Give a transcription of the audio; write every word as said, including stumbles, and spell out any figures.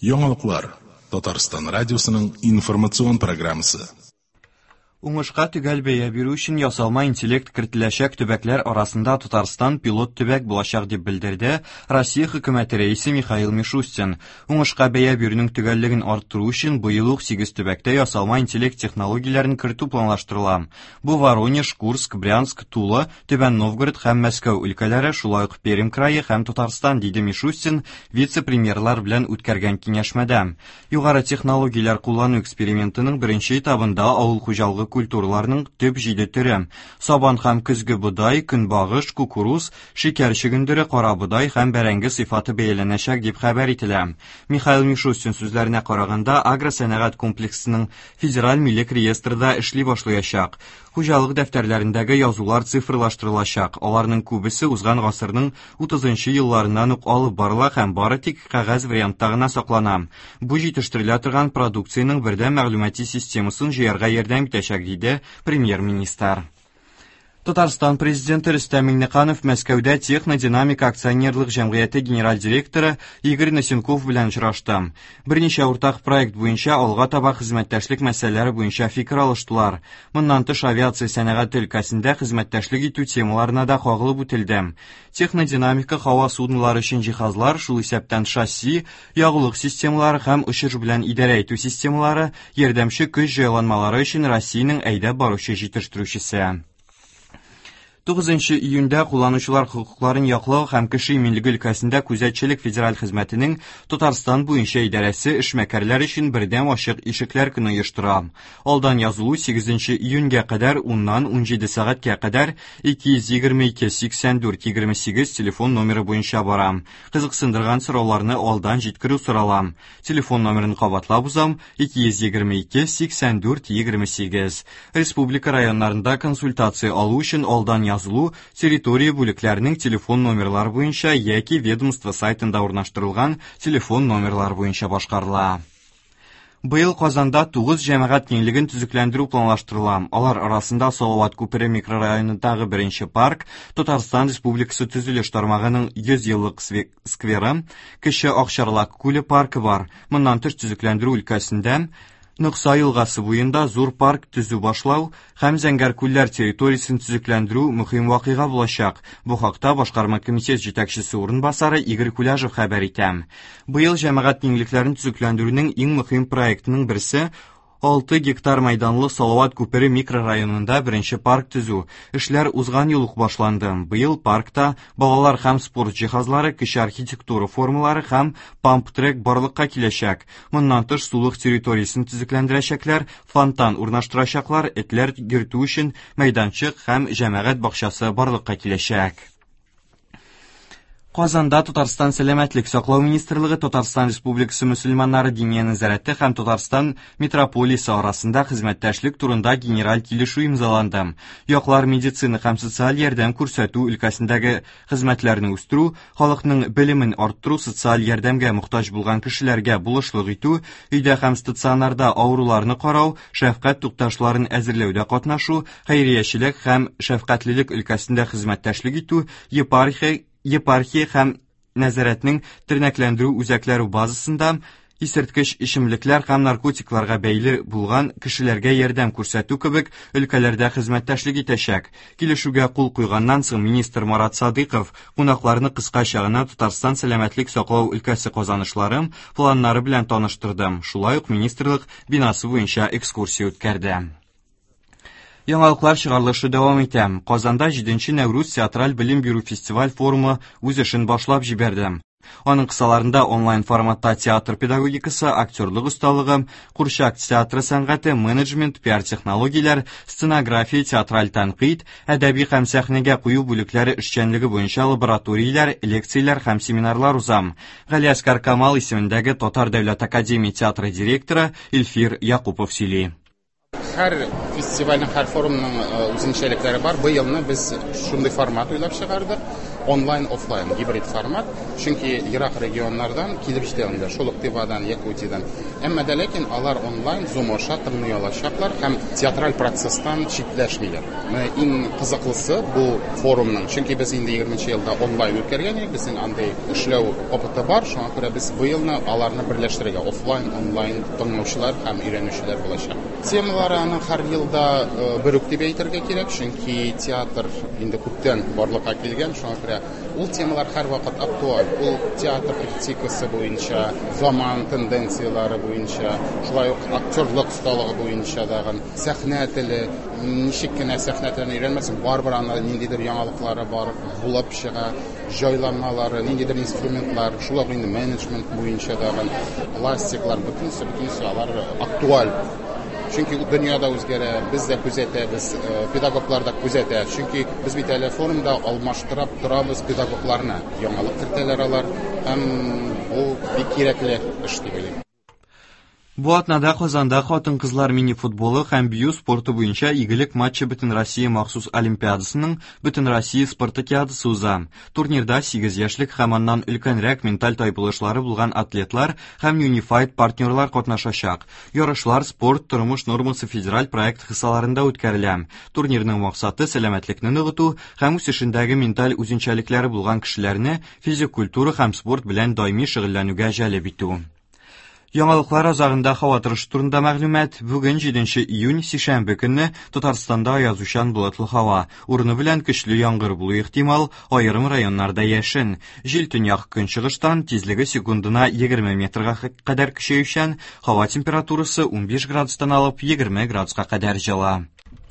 Яңалыклар Татарстан радиосының информацион программасы. Уңышка төгәл бәя бирү өчен ясалма интеллект кертеләчәк төбәкләр арасында Татарстан пилот төбәк булачак дип белдерде Россия хөкүмәте рәисе Михаил Мишустин. Уңышка бәя бирүнең төгәллеген арттыру өчен быел ук сигез төбәктә ясалма интеллект технологияләрен кертү планлаштырыла. Бу Воронеж, Курск, Брянск, Тула, Түбән Новгород һәм Мәскәү өлкәләре, шулай ук Пермь крае һәм Татарстан, диде Мишустин вице-премьерлар белән үткәргән киңәшмәдә. Югары технологияләр куллану экспериментының беренче этабында авыл хуҗалыгы культураларының төп җиде төре: сабан һәм көзге бодай, көнбагыш, кукуруз, шикәр чөгендере, кара бодай һәм бәрәңге сыйфаты бәяләнәчәк дип хәбәр ителә. Михаил Мишустин сүзләренә караганда, агросәнәгать комплексының федераль милек реестры да эшли башлаячак. Хуҗалык дәфтәрләрендәге язулар цифрлаштырылачак. Аларның күбесе узган гасырның утызынчы елларыннан ук алып барыла һәм бары тик кәгазь вариантта гына саклана. Бу җитештерелә торган продукциянең бердәм мәгълүмати системасын җыярга ярдәм итәчәк, диде премьер-министр. Татарстан президенты Рөстәм Миңнеханов Мәскәүдә Технодинамика акционерлык җәмгыяте генераль директоры Игорь Носенков белән очрашты. Берничә уртак проект буенча алга таба хезмәттәшлек мәсьәләләре буенча фикер алыштылар. Моннан тыш авиация сәнәгате өлкәсендә хезмәттәшлек итү темаларына да кагылып үтелде. Технодинамика һава суднолары өчен җиһазлар, шул исәптән шасси, ягулык системалары һәм очыш белән идарә итү системалары, ярдәмче көч җайланмалары өчен Россиянең әйдәп баручы җитештерүчесе. Тугызынчы июньдә кулланучылар хокукларын яклау һәм кеше иминлеге өлкәсендә күзәтчелек федераль хезмәтенең Татарстан буенча идарәсе эшмәкәрләр өчен бердәм ачык ишекләр көне оештыра. Алдан язылу сигезенче июньгә кадәр уннан унҗиде сәгатькә кадәр ике йөз егерме ике сиксән дүрт егерме сигез телефон номеры буенча бара. Кызыксындырган сорауларны алдан җиткерү сорала. Телефон номерын кабатлап узам: ике йөз егерме ике сиксән дүрт егерме сигез. Республика районнарында консультация алу өчен алдан язылу территория бүлекләренең телефон номерлары буенча яки ведомство сайтында урнаштырылган телефон номерлары буенча башкарыла. Быел Казанда тугыз җәмәгать киңлеген төзекләндерү планлаштырыла. Алар арасында Салават күпере микрорайонындагы беренче парк, Татарстан Республикасы төзелеш тармагының йөз еллык скверы, Кече Акчарлак күле паркы бар. Моннан тыш төзекләндерү өлкәсендә Нокса елгасы буенда зур парк төзү башлау һәм Зәңгәр күлләр территориясен төзекләндерү мөһим вакыйга булачак. Бу хакта башкарма комитет җитәкчесе урынбасары Игорь Куляжев хәбәр итә. Быел җәмәгать киңлекләрен төзекләндерүнең иң мөһим проектының берсе алты гектар мәйданлы Салават күпере микрорайонында беренче парк төзү. Эшләр узган ел ук башланды. Быел паркта балалар һәм спорт җиһазлары, кече архитектура формалары һәм памп-трек барлыкка киләчәк. Моннан тыш сулык территориясен төзекләндерәчәкләр, фонтан урнаштырачаклар, этләр йөртү өчен мәйданчык һәм җәмәгать бакчасы барлыкка киләчәк. Казанда Татарстан Сәламәтлек саклау министрлыгы, Татарстан Республикасы мөселманнары диния нәзарәте һәм Татарстан митрополиясе арасында хезмәттәшлек турында генераль килешү имзаланды. Яклар медицина һәм социаль ярдәм күрсәтү өлкәсендәге хезмәтләрне үстерү, халыкның белемен арттыру, социаль ярдәмгә мохтаҗ булган кешеләргә булышлык итү, өйдә һәм стационарда авыруларны карау, шәфкать тукташларын әзерләүдә катнашу, хәйриячелек һәм шәфкатьлелек өлкәсендә хезмәттәшлек итү, епархия епархия һәм нәзарәтнең тернәкләндерү үзәкләре базасында исерткеч эчемлекләр һәм наркотикларга бәйле булган кешеләргә ярдәм күрсәтү кебек өлкәләрдә хезмәттәшлек итәчәк. Килешүгә кул куйганнан соң министр Марат Садыйков кунакларны кыскача гына Татарстан сәламәтлек саклау өлкәсе казанышлары, планнары белән таныштырды. Шулай ук министрлык бинасы буенча экскурсия үткәрде. Яңалыклар чыгарылышы дәвам итә. Казанда җиденче Нәүрүз театраль белем бирү фестиваль форумы үз эшен башлап җибәрде. Аның кысаларында онлайн форматта театр педагогикасы, актерлык осталыгы, курчак театры сәнгате, менеджмент, пиар-технологияләр, сценография, театраль тәнкыйть, әдәби һәм сәхнәгә кую бүлекләре эшчәнлеге буенча лабораторияләр, лекцияләр һәм семинарлар уза. Галиәсгар Камал исемендәге Татар дәүләт академия театры директоры Илфир Якупов сөйли. Һәр фестивальнең, һәр форумның үзенчәлекләре бар. Быелны без шундый формат уйлап чыгардык. Онлайн, офлайн, гибрид формат. Чөнки ерак регионнардан килеп җитә алмыйлар. Шул ук Тывадан, Якутиядан. Әмма дә ләкин алар онлайн Zoom аша тыңлый алачаклар һәм театраль процесстан читләшмиләр. Менә иң кызыклысы бу форумның, чөнки без инде егерменче елда онлайн үткәргән идек, безнең андый эшләү опыты бар, шуңа күрә без быелны аларны берләштерергә, офлайн, онлайн тыңлаучылар һәм өйрәнүчеләр булачак. Темалары аның һәр елда бер үк дип әйтергә кирәк, чөнки театр инде күптән барлыкка килгән, шуңа күрә ул темалар һәрвакыт актуаль. Ул театр критикасы буенча, заман тенденцияләре буенча, шулай ук актерлык осталыгы буенча дагын, сәхнә теле, ничек кенә сәхнә телен өйрәнмәсен, барыбер анда ниндидер яңалыклары бар, булып чыга, җайланмалары, ниндидер инструментлар, шулай ук инде менеджмент буенча дагын, пластиклар, бөтенесе, бөтенесе алар актуаль. Чөнки дөнья да үзгәрә, без дә күзәтәбез, педагоглар да күзәтә. Чөнки без бит әле форумда алмаштырып торабыз педагогларны. Яңалык кертәләр алар һәм бу бик кирәкле эш дип уйлыйм. Бу атнада Казанда хатын-кызлар мини-футболы һәм бию спорты буенча игелек матчы Бөтенроссия махсус олимпиадасының Бөтенроссия спартакиадасы уза. Турнирда сигез яшьлек һәм аннан өлкәнрәк менталь тайпылышлары булган атлетлар һәм Unified партнерлар катнашачак. Ярышлар спорт тормыш нормасы федераль проект кысаларында үткәрелә. Турнирның максаты сәламәтлекне ныгыту һәм үсешендәге менталь үзенчәлекләре булган кешеләрне физик культура һәм спорт белән даими шөгыльләнүгә җәлеп итү. Яңалыклар азагында һава торышы турында мәгълүмат. Бүген җиденче июнь сишәмбе көнне Татарстанда аязучан болытлы һава. Урыны белән көчле яңгыр булу ихтимал, аерым районнарда яшен. Җил төньяк көнчыгыштан, тизлеге секундына егерме метрга кадәр көчәючән, һава температурасы унбиш градустан алып егерме градуска кадәр җылы.